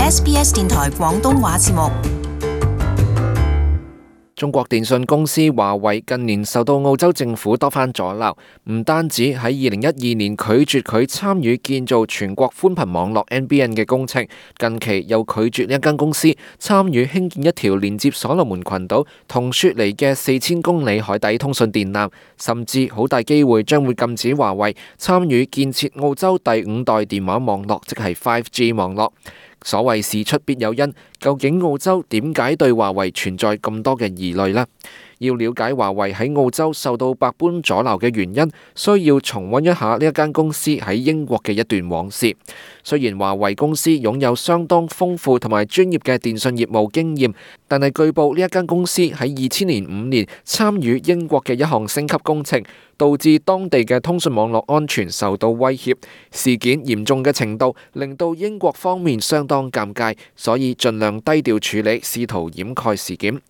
SBS 電台廣東話節目。中國電信公司華為近年受到澳洲政府多番阻撓，唔單止喺2012年拒絕佢參與建造全國寬頻網絡 NBN 嘅工程，近期又拒絕呢一間公司參與興建一條連接所羅門群島同雪梨嘅4000公里海底通訊電纜，甚至好大機會將會禁止華為參與建設澳洲第5代電話網絡，即係 5G 網絡。所謂事出必有因，究竟澳洲點解對華為存在咁多嘅疑慮呢？要了解華為喺澳洲受到百般阻撓嘅原因，需要重溫一下呢一間公司喺英國嘅一段往事。雖然華為公司擁有相當豐富同埋專業嘅電信業務經驗，但係據報呢一間公司喺2005年參與英國嘅一項升級工程，導致當地嘅通訊網絡安全受到威脅。事件嚴重嘅程度令到英國方面相當尷尬，所以盡量低調處理，試圖掩蓋事件。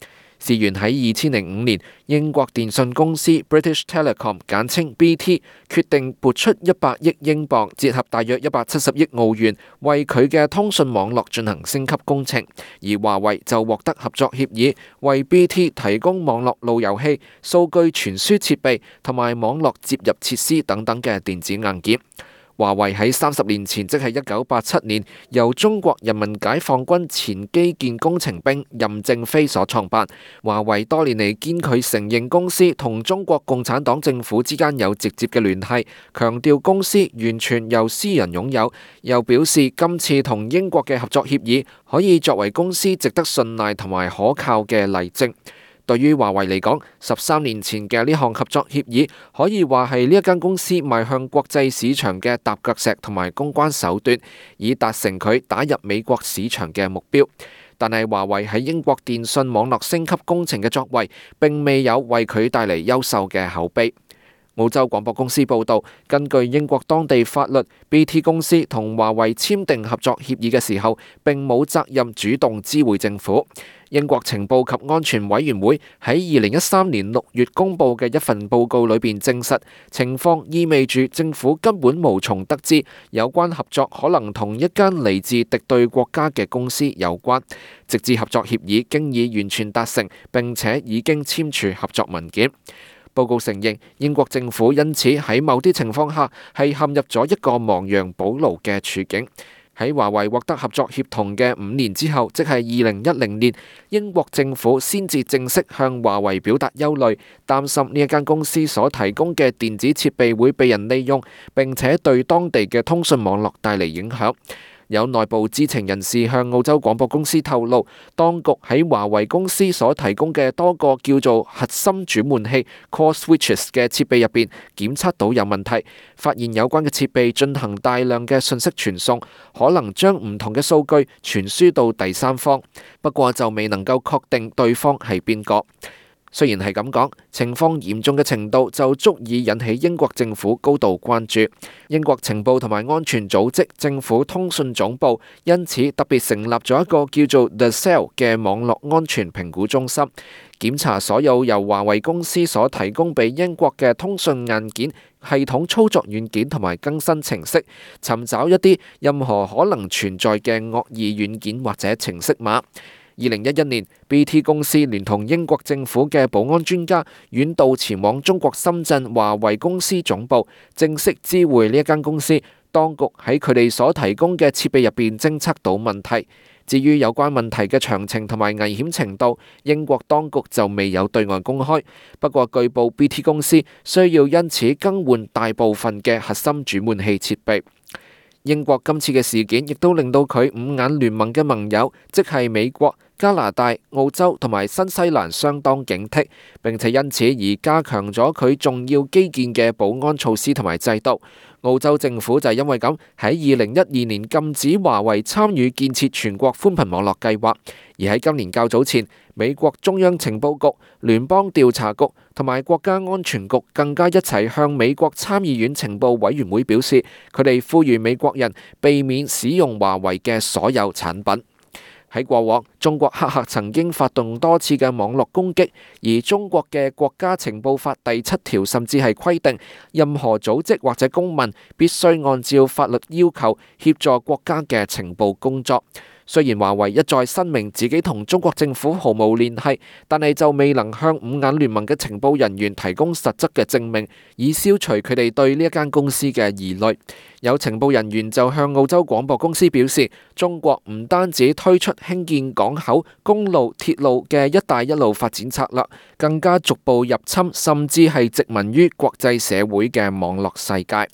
事源喺2005年，英國電信公司 British Telecom 簡稱 BT 決定撥出100億英鎊，折合大約170億澳元，為佢嘅通訊網絡進行升級工程，而華為就獲得合作協議，為 BT 提供網絡路由器、數據傳輸設備同埋網絡接入設施等等嘅電子硬件。華為喺30年前，即係1987年，由中國人民解放軍前基建工程兵任正非所創辦。華為多年嚟堅拒承認公司同中國共產黨政府之間有直接嘅聯繫，強調公司完全由私人擁有，又表示今次同英國嘅合作協議可以作為公司值得信賴同埋可靠嘅例證。對於華為嚟講，13年前嘅呢項合作協議可以話係呢一間公司邁向國際市場嘅踏腳石同埋公關手段，以達成佢打入美國市場嘅目標。但係華為喺英國電信網絡升級工程嘅作為並未有為佢帶嚟優秀嘅口碑。澳洲廣播公司報導，根據英國當地法律， BT 公司同華為簽訂合作協議嘅時候並冇責任主動知會政府。英國情報及安全委員會喺2013年6月公布嘅一份報告裏邊證實，情況意味住政府根本無從得知有關合作可能同一間嚟自敵對國家嘅公司有關，直至合作協議經已完全達成並且已經簽署合作文件。報告承認，英國政府因此喺某啲情況下係陷入咗一個亡羊補牢嘅處境。喺華為獲得合作協同嘅5年之後，即係2010年，英國政府先至正式向華為表達憂慮，擔心呢一間公司所提供嘅電子設備會被人利用，並且對當地嘅通訊網絡帶嚟影響。有內部知情人士向澳洲廣播公司透露，當局喺華為公司所提供嘅多個叫做核心轉換器 （core switches） 嘅設備入邊檢測到有問題，發現有關嘅設備進行大量嘅信息傳送，可能將唔同嘅數據傳輸到第三方，不過就未能夠確定對方係邊個。雖然係咁講，情況嚴重嘅程度就足以引起英國政府高度關注。英國情報同埋安全組織政府通訊總部因此特別成立咗一個叫做 The Cell 嘅網絡安全評估中心，檢查所有由華為公司所提供俾英國嘅通訊硬件、系統操作軟件同埋更新程式，尋找一啲任何可能存在嘅惡意軟件或者程式碼。2011年 BT 公司聯同英國政府嘅保安專家遠道前往中國深圳華為公司總部，正式知會呢一間公司。當局喺佢哋所提供嘅設備入邊偵測到問題。至於有關問題嘅詳情同埋危險程度，英國當局就未有對外公開。不過據報 BT 公司需要因此更換大部分嘅核心轉換器設備。英國今次嘅事件亦都令到佢五眼聯盟嘅盟友，即係美國、加拿大、澳洲同埋新西蘭相當警惕，並且因此而加強咗佢重要基建嘅保安措施同埋制度。澳洲政府就係因為咁喺2012年禁止華為參與建設全國寬頻網絡計劃，而喺今年較早前，美國中央情報局、聯邦調查局同埋國家安全局更加一齊向美國參議院情報委員會表示，佢哋呼籲美國人避免使用華為嘅所有產品。喺過往，中國黑客曾經發動多次嘅網絡攻擊，而中國嘅國家情報法第7條甚至係規定，任何組織或者公民必須按照法律要求協助國家嘅情報工作。雖然華為一再申明自己同中國政府毫無聯繫，但係就未能向五眼聯盟嘅情報人員提供實質嘅證明，以消除佢哋對呢一間公司嘅疑慮。有情報人員就向澳洲廣播公司表示，中國唔單止推出興建港口、公路、鐵路嘅一帶一路發展策略，更加逐步入侵，甚至係殖民於國際社會嘅網絡世界。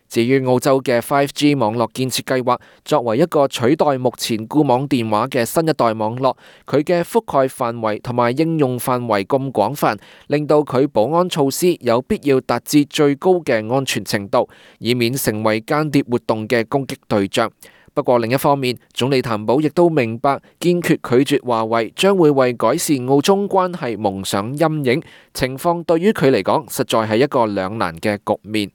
至於澳洲嘅 5G 網絡建設計劃，作為一個取代目前固網電話嘅新一代網絡，佢嘅覆蓋範圍同埋應用範圍咁廣泛，令到佢保安措施有必要達至最高嘅安全程度，以免成為間諜活動嘅攻擊對象。不過另一方面，總理譚寶亦都明白，堅決拒絕華為將會為改善澳中關係蒙上陰影，情況對於佢嚟講，實在係一個兩難嘅局面。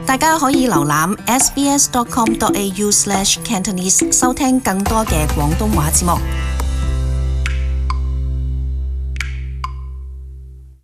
大家可以瀏覽 sbs.com.au/cantonese 收聽更多嘅廣東話節目。